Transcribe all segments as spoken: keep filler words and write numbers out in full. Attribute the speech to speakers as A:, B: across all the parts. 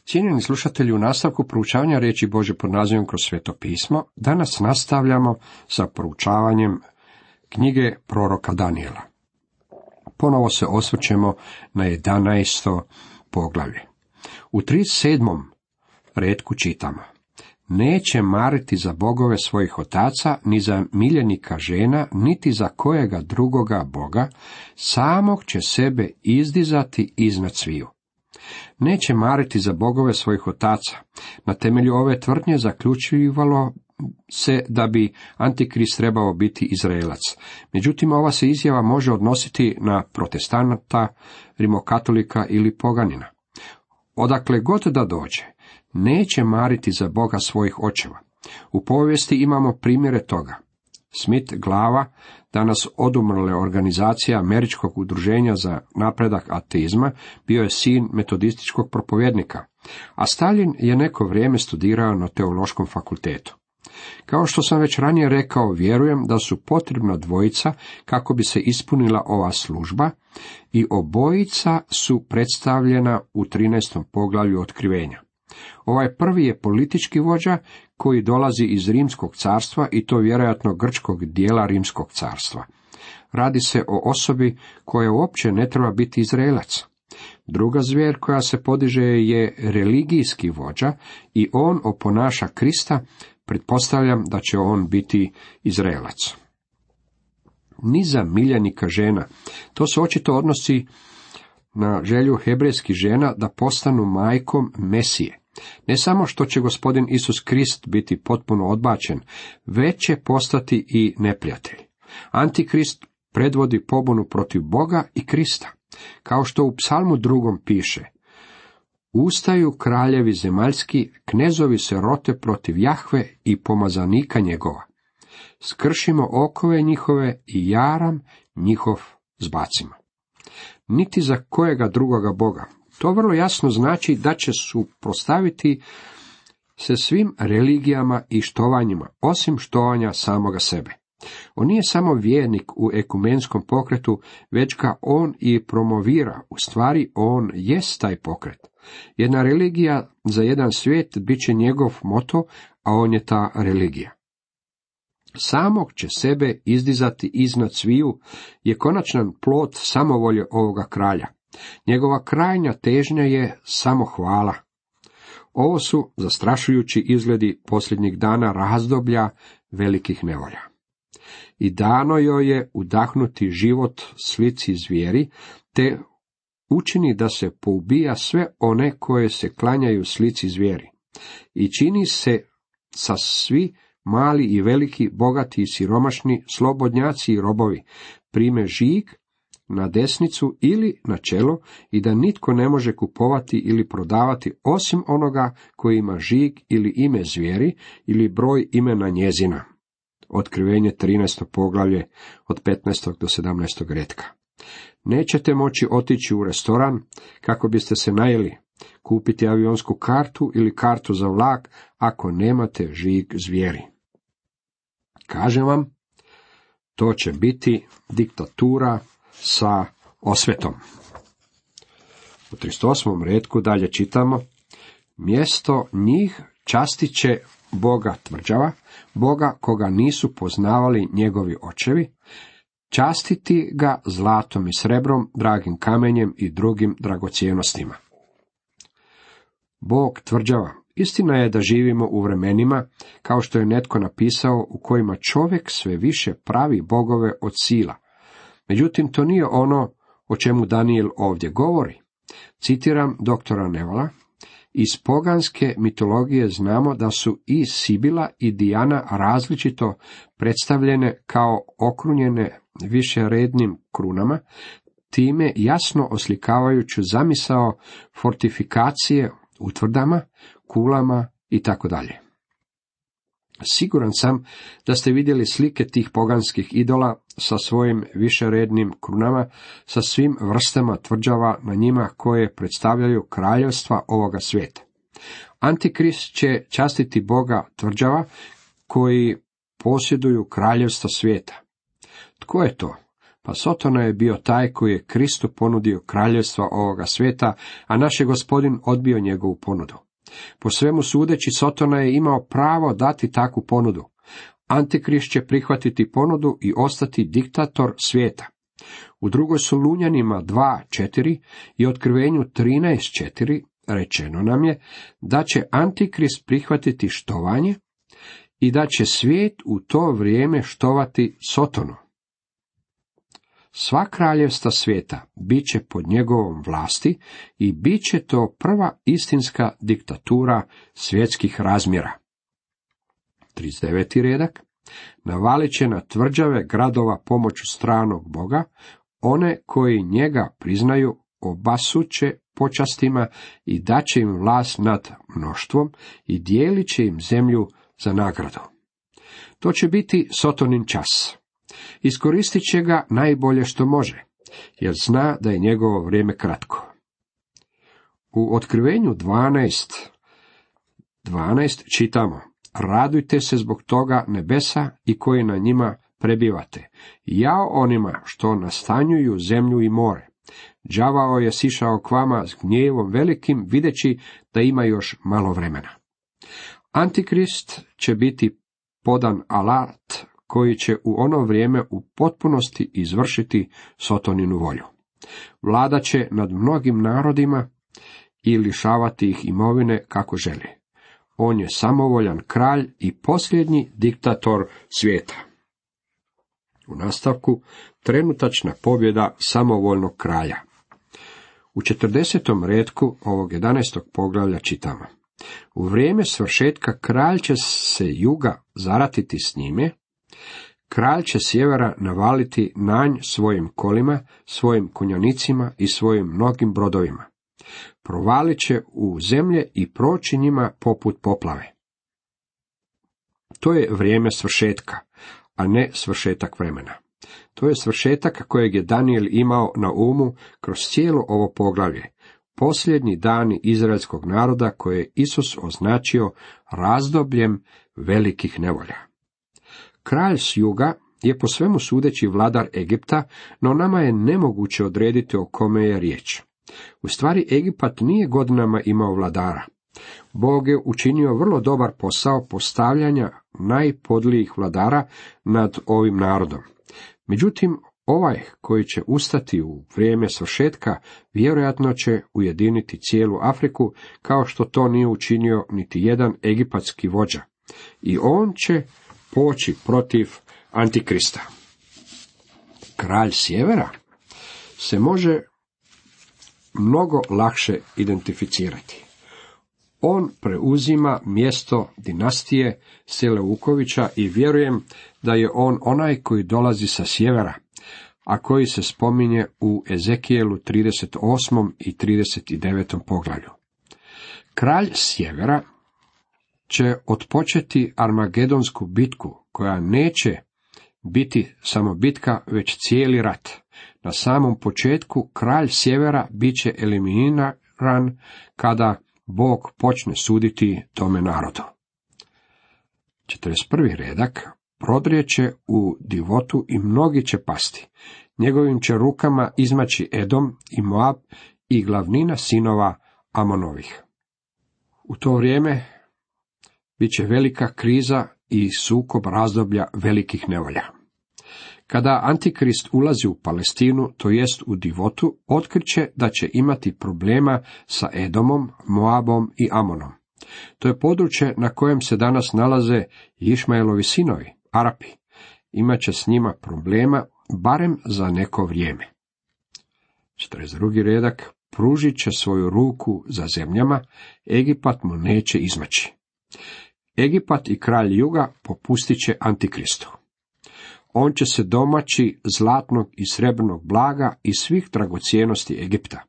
A: Cijenjeni slušatelji, u nastavku proučavanja riječi Božje pod nazivom Kroz Sveto pismo, danas nastavljamo sa proučavanjem knjige proroka Danijela. Ponovo se osvrćemo na jedanaesto poglavlje. U trideset sedmom retku čitamo: Neće mariti za bogove svojih otaca, ni za miljenika žena, niti za kojega drugoga boga, samog će sebe izdizati iznad sviju. Neće mariti za bogove svojih otaca. Na temelju ove tvrdnje zaključivalo se da bi Antikrist trebao biti Izraelac. Međutim, ova se izjava može odnositi na protestanta, rimokatolika ili poganina. Odakle god da dođe, neće mariti za Boga svojih očeva. U povijesti imamo primjere toga. Smith glava, danas odumrle organizacija Američkog udruženja za napredak ateizma, bio je sin metodističkog propovjednika, a Stalin je neko vrijeme studirao na teološkom fakultetu. Kao što sam već ranije rekao, vjerujem da su potrebna dvojica kako bi se ispunila ova služba i obojica su predstavljena u trinaestom poglavlju Otkrivenja. Ovaj prvi je politički vođa koji dolazi iz Rimskog carstva i to vjerojatno grčkog dijela Rimskog carstva. Radi se o osobi koja uopće ne treba biti Izraelac. Druga zvijer koja se podiže je religijski vođa i on oponaša Krista, pretpostavljam da će on biti Izraelac. Ni za miljenika žena. To se očito odnosi na želju hebrejskih žena da postanu majkom Mesije. Ne samo što će gospodin Isus Krist biti potpuno odbačen, već će postati i neprijatelj. Antikrist predvodi pobunu protiv Boga i Krista. Kao što u psalmu drugom piše: Ustaju kraljevi zemaljski, knezovi se rote protiv Jahve i pomazanika njegova. Skršimo okove njihove i jaram njihov zbacimo. Niti za kojega drugoga Boga. To vrlo jasno znači da će suprotstaviti se svim religijama i štovanjima, osim štovanja samoga sebe. On nije samo vjernik u ekumenskom pokretu, već ga on i promovira, u stvari on jest taj pokret. Jedna religija za jedan svijet bit će njegov moto, a on je ta religija. Samog će sebe izdizati iznad sviju je konačan plod samovolje ovoga kralja. Njegova krajnja težnja je samohvala. Ovo su zastrašujući izgledi posljednjih dana razdoblja velikih nevolja. I dano joj je udahnuti život slici zvijeri, te učini da se poubija sve one koje se klanjaju slici zvijeri. I čini se sa svi mali i veliki, bogati i siromašni, slobodnjaci i robovi, prime žig na desnicu ili na čelo i da nitko ne može kupovati ili prodavati osim onoga koji ima žig ili ime zvijeri ili broj imena njezina. Otkrivenje trinaesto poglavlje od petnaestog do sedamnaestog retka. Nećete moći otići u restoran kako biste se najeli, kupiti avionsku kartu ili kartu za vlak ako nemate žig zvijeri. Kažem vam, to će biti diktatura sa osvetom. U trideset osmom retku dalje čitamo: Mjesto njih častit će Boga tvrđava, Boga koga nisu poznavali njegovi očevi, častiti ga zlatom i srebrom, dragim kamenjem i drugim dragocjenostima. Bog tvrđava. Istina je da živimo u vremenima, kao što je netko napisao, u kojima čovjek sve više pravi bogove od sila. Međutim, to nije ono o čemu Danijel ovdje govori. Citiram doktora Nevala: Iz poganske mitologije znamo da su i Sibila i Dijana različito predstavljene kao okrunjene višerednim krunama, time jasno oslikavajući zamisao fortifikacije utvrdama, kulama i tako dalje. Siguran sam da ste vidjeli slike tih poganskih idola sa svojim višerednim krunama, sa svim vrstama tvrđava na njima koje predstavljaju kraljevstva ovoga svijeta. Antikrist će častiti Boga tvrđava koji posjeduju kraljevstva svijeta. Tko je to? Pa Sotona je bio taj koji je Kristu ponudio kraljevstva ovoga svijeta, a naš je Gospodin odbio njegovu ponudu. Po svemu sudeći, Sotona je imao pravo dati takvu ponudu. Antikrist će prihvatiti ponudu i ostati diktator svijeta. U drugoj Solunjanima dva četiri i Otkrivenju trinaest četiri rečeno nam je da će Antikrist prihvatiti štovanje i da će svijet u to vrijeme štovati Sotonu. Sva kraljevstva svijeta bit će pod njegovom vlasti i bit će to prva istinska diktatura svjetskih razmjera. trideset deveti redak. Navalit će na tvrđave gradova pomoću stranog boga, one koji njega priznaju obasuće počastima i daće im vlast nad mnoštvom i dijelit će im zemlju za nagradu. To će biti Sotonin čas. Iskoristit će ga najbolje što može, jer zna da je njegovo vrijeme kratko. U Otkrivenju dvanaest dvanaest čitamo: radujte se zbog toga nebesa i koji na njima prebivate. Jao onima što nastanjuju zemlju i more. Đavao je sišao k vama s gnjevom velikim, videći da ima još malo vremena. Antikrist će biti podan alat koji će u ono vrijeme u potpunosti izvršiti Sotoninu volju. Vlada će nad mnogim narodima i lišavati ih imovine kako želi. On je samovoljan kralj i posljednji diktator svijeta. U nastavku trenutačna pobjeda samovoljnog kralja. U četrdesetom retku ovog jedanaestog poglavlja čitamo: u vrijeme svršetka kralj će se juga zaratiti s njime, kralj će sjevera navaliti na nj svojim kolima, svojim konjanicima i svojim mnogim brodovima. Provalit će u zemlje i proći njima poput poplave. To je vrijeme svršetka, a ne svršetak vremena. To je svršetak kojeg je Danijel imao na umu kroz cijelo ovo poglavlje, posljednji dani izraelskog naroda koje je Isus označio razdobljem velikih nevolja. Kralj s juga je po svemu sudeći vladar Egipta, no nama je nemoguće odrediti o kome je riječ. U stvari Egipat nije godinama imao vladara. Bog je učinio vrlo dobar posao postavljanja najpodlijih vladara nad ovim narodom. Međutim, ovaj koji će ustati u vrijeme svršetka vjerojatno će ujediniti cijelu Afriku, kao što to nije učinio niti jedan egipatski vođa. I on će poći protiv Antikrista. Kralj sjevera se može mnogo lakše identificirati. On preuzima mjesto dinastije Seleukovića i vjerujem da je on onaj koji dolazi sa sjevera, a koji se spominje u Ezekijelu trideset osmom i trideset devetom poglavlju. Kralj sjevera će otpočeti armagedonsku bitku, koja neće biti samo bitka, već cijeli rat. Na samom početku kralj sjevera bit će eliminiran kada Bog počne suditi tome narodu. četrdeset prvi redak. Prodrijeće u divotu i mnogi će pasti. Njegovim će rukama izmaći Edom i Moab i glavnina sinova Amonovih. U to vrijeme bit će velika kriza i sukob razdoblja velikih nevolja. Kada Antikrist ulazi u Palestinu, to jest u divotu, otkriće da će imati problema sa Edomom, Moabom i Amonom. To je područje na kojem se danas nalaze Išmaelovi sinovi, Arapi. Imaće s njima problema, barem za neko vrijeme. četrdeset drugi redak. Pružit će svoju ruku za zemljama, Egipat mu neće izmaći. Egipat i kralj juga popustit će Antikristu. On će se domaći zlatnog i srebrnog blaga i svih dragocjenosti Egipta.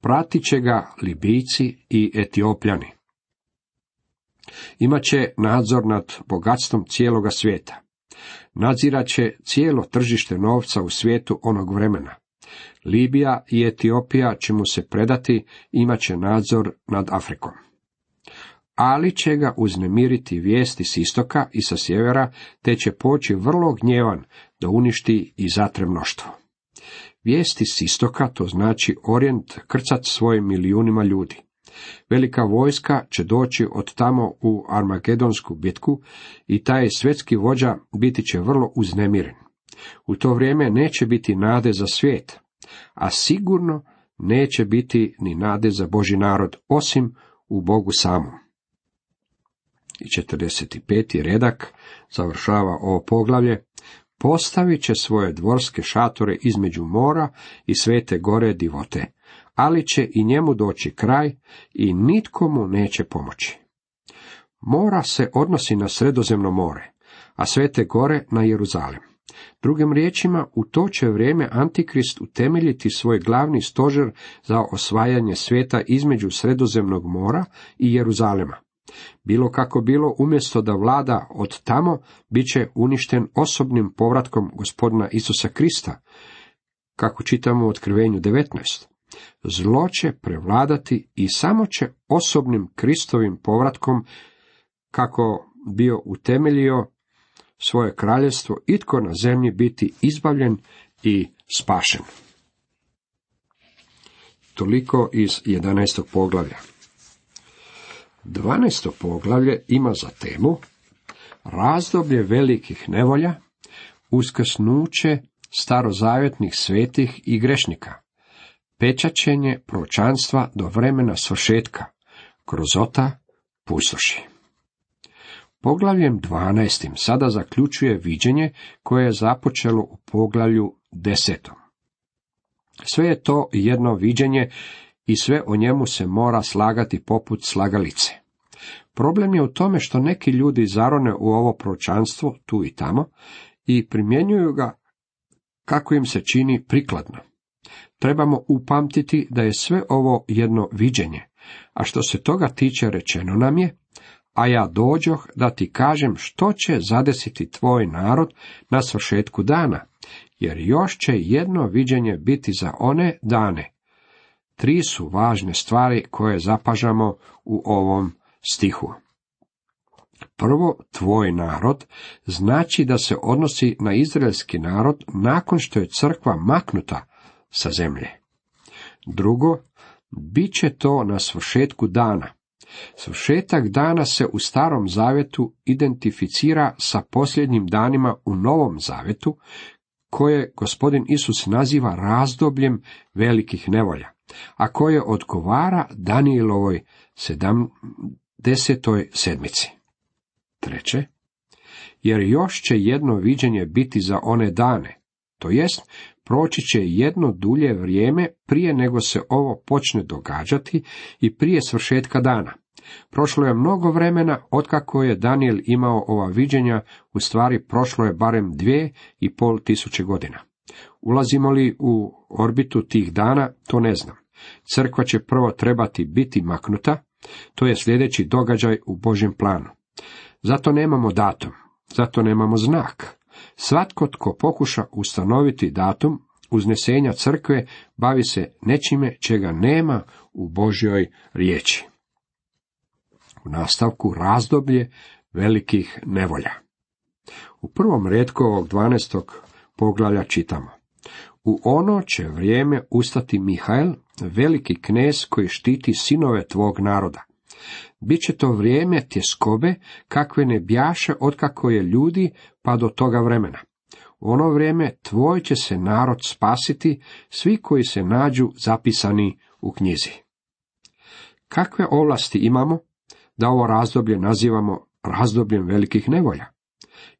A: Pratit će ga Libijci i Etiopljani. Imaće nadzor nad bogatstvom cijeloga svijeta. Nadzirat će cijelo tržište novca u svijetu onog vremena. Libija i Etiopija će mu se predati, imat će nadzor nad Afrikom. Ali će ga uznemiriti vijesti s istoka i sa sjevera, te će poći vrlo gnjevan da uništi i zatre mnoštvo. Vijesti s istoka, to znači Orijent, krcat svojim milijunima ljudi. Velika vojska će doći od tamo u Armagedonsku bitku i taj svjetski vođa biti će vrlo uznemiren. U to vrijeme neće biti nade za svijet, a sigurno neće biti ni nade za Božji narod, osim u Bogu samom. I četrdeset peti redak završava ovo poglavlje. Postavit će svoje dvorske šatore između mora i svete gore divote, ali će i njemu doći kraj i nitko mu neće pomoći. Mora se odnosi na Sredozemno more, a svete gore na Jeruzalem. Drugim riječima, u to će vrijeme Antikrist utemeljiti svoj glavni stožer za osvajanje svijeta između Sredozemnog mora i Jeruzalema. Bilo kako bilo, umjesto da vlada od tamo, bit će uništen osobnim povratkom Gospodina Isusa Krista, kako čitamo u Otkrivenju devetnaest. Zlo će prevladati i samo će osobnim Kristovim povratkom, kako bio utemeljio svoje kraljevstvo, itko na zemlji biti izbavljen i spašen. Toliko iz jedanaestog poglavlja. dvanaesto poglavlje ima za temu razdoblje velikih nevolja, uskrsnuće starozavjetnih svetih i grešnika, pečaćenje proročanstva do vremena svršetka, grozota pustoši. Poglavljem dvanaestim sada zaključuje viđenje koje je započelo u poglavlju desetom. Sve je to jedno viđenje i sve o njemu se mora slagati poput slagalice. Problem je u tome što neki ljudi zarone u ovo proročanstvo tu i tamo i primjenjuju ga kako im se čini prikladno. Trebamo upamtiti da je sve ovo jedno viđenje, a što se toga tiče rečeno nam je: a ja dođoh da ti kažem što će zadesiti tvoj narod na svršetku dana, jer još će jedno viđenje biti za one dane. Tri su važne stvari koje zapažamo u ovom stihu. Prvo, tvoj narod znači da se odnosi na izraelski narod nakon što je crkva maknuta sa zemlje. Drugo, bit će to na svršetku dana. Svršetak dana se u Starom zavjetu identificira sa posljednjim danima u Novom zavjetu, koje Gospodin Isus naziva razdobljem velikih nevolja, a koje odgovara Danijelovoj sedamdesetoj sedmici. Treće, jer još će jedno viđenje biti za one dane, to jest proći će jedno dulje vrijeme prije nego se ovo počne događati i prije svršetka dana. Prošlo je mnogo vremena otkako je Danijel imao ova viđenja, u stvari prošlo je barem dvije i pol tisuće godina. Ulazimo li u orbitu tih dana, to ne znam. Crkva će prvo trebati biti maknuta, to je sljedeći događaj u Božjem planu. Zato nemamo datum, zato nemamo znak. Svatko tko pokuša ustanoviti datum uznesenja crkve bavi se nečime čega nema u Božjoj riječi. U nastavku razdoblje velikih nevolja. U prvom retku ovog dvanaestog poglavlja čitamo: u ono će vrijeme ustati Mihael, veliki knez koji štiti sinove tvog naroda. Biće to vrijeme tjeskobe kakve ne bjaše otkako je ljudi pa do toga vremena. U ono vrijeme tvoj će se narod spasiti, svi koji se nađu zapisani u knjizi. Kakve ovlasti imamo da ovo razdoblje nazivamo razdobljem velikih nevolja?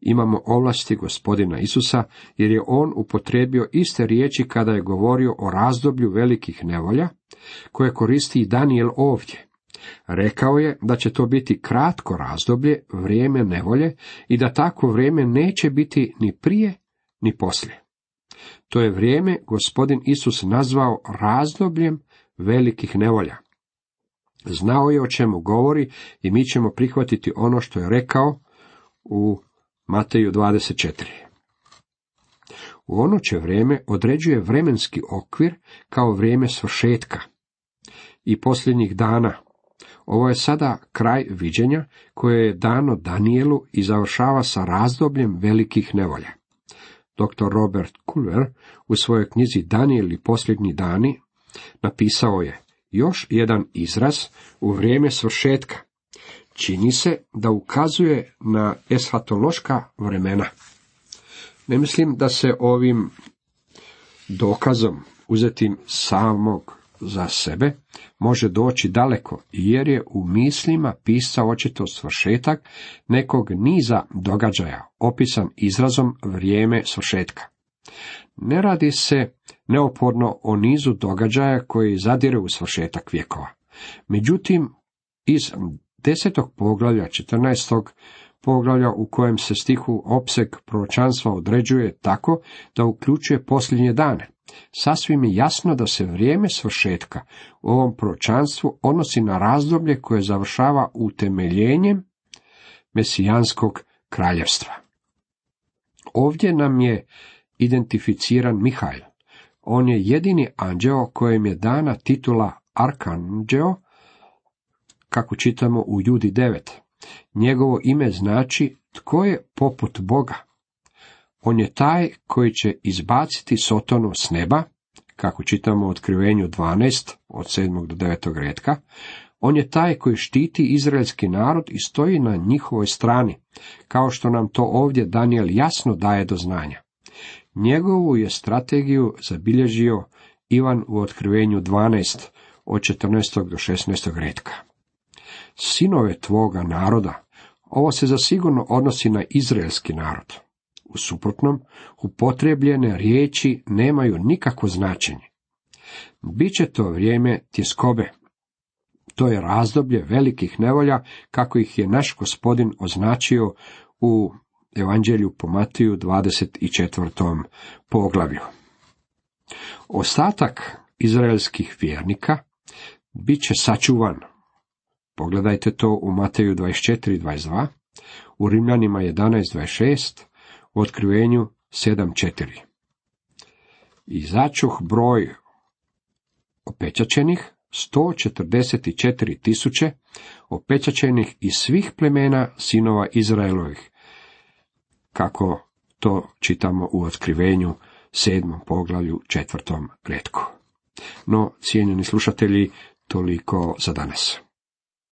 A: Imamo ovlasti Gospodina Isusa, jer je on upotrijebio iste riječi kada je govorio o razdoblju velikih nevolja, koje koristi i Danijel ovdje. Rekao je da će to biti kratko razdoblje, vrijeme nevolje, i da takvo vrijeme neće biti ni prije ni poslije. To je vrijeme Gospodin Isus nazvao razdobljem velikih nevolja. Znao je o čemu govori i mi ćemo prihvatiti ono što je rekao u Mateju dvadeset četiri. U ono će vrijeme određuje vremenski okvir kao vrijeme svršetka i posljednjih dana. Ovo je sada kraj viđenja koje je dano Danijelu i završava sa razdobljem velikih nevolja. doktor Robert Kulver u svojoj knjizi Danijel i posljednji dani napisao je još jedan izraz u vrijeme svršetka. Čini se da ukazuje na eshatološka vremena. Ne mislim da se ovim dokazom uzetim samog za sebe može doći daleko, jer je u mislima pisao očito svršetak nekog niza događaja, opisan izrazom vrijeme svršetka. Ne radi se neoporno o nizu događaja koji zadire u svršetak vjekova. Međutim, iz desetog poglavlja, četrnaestog poglavlja u kojem se stihu opseg proročanstva određuje tako da uključuje posljednje dane, sasvim je jasno da se vrijeme svršetka u ovom proročanstvu odnosi na razdoblje koje završava utemeljenjem mesijanskog kraljevstva. Ovdje nam je identificiran Mihail. On je jedini anđeo kojem je dana titula arkanđeo, kako čitamo u Judi devet. Njegovo ime znači tko je poput Boga. On je taj koji će izbaciti Sotonu s neba, kako čitamo u Otkrivenju dvanaest, od sedmog do devetog retka. On je taj koji štiti izraelski narod i stoji na njihovoj strani, kao što nam to ovdje Danijel jasno daje do znanja. Njegovu je strategiju zabilježio Ivan u Otkrivenju dvanaest, od četrnaestog do šesnaestog retka. Sinove tvoga naroda, ovo se zasigurno odnosi na izraelski narod. U suprotnom, upotrijebljene riječi nemaju nikakvo značenje. Biće to vrijeme tjeskobe. To je razdoblje velikih nevolja, kako ih je naš Gospodin označio u Evanđelju po Matiju dvadeset četvrtom poglavlju. Ostatak izraelskih vjernika bit će sačuvan. Pogledajte to u Mateju dvadeset četiri dvadeset dva, u Rimljanima jedanaest dvadeset šest, u Otkrivenju sedam četiri. I začuh broj opečačenih sto četrdeset četiri tisuće, opečačenih iz svih plemena sinova Izraelovih, kako to čitamo u Otkrivenju sedmom poglavlju četvrtom retku. No, cijenjeni slušatelji, toliko za danas.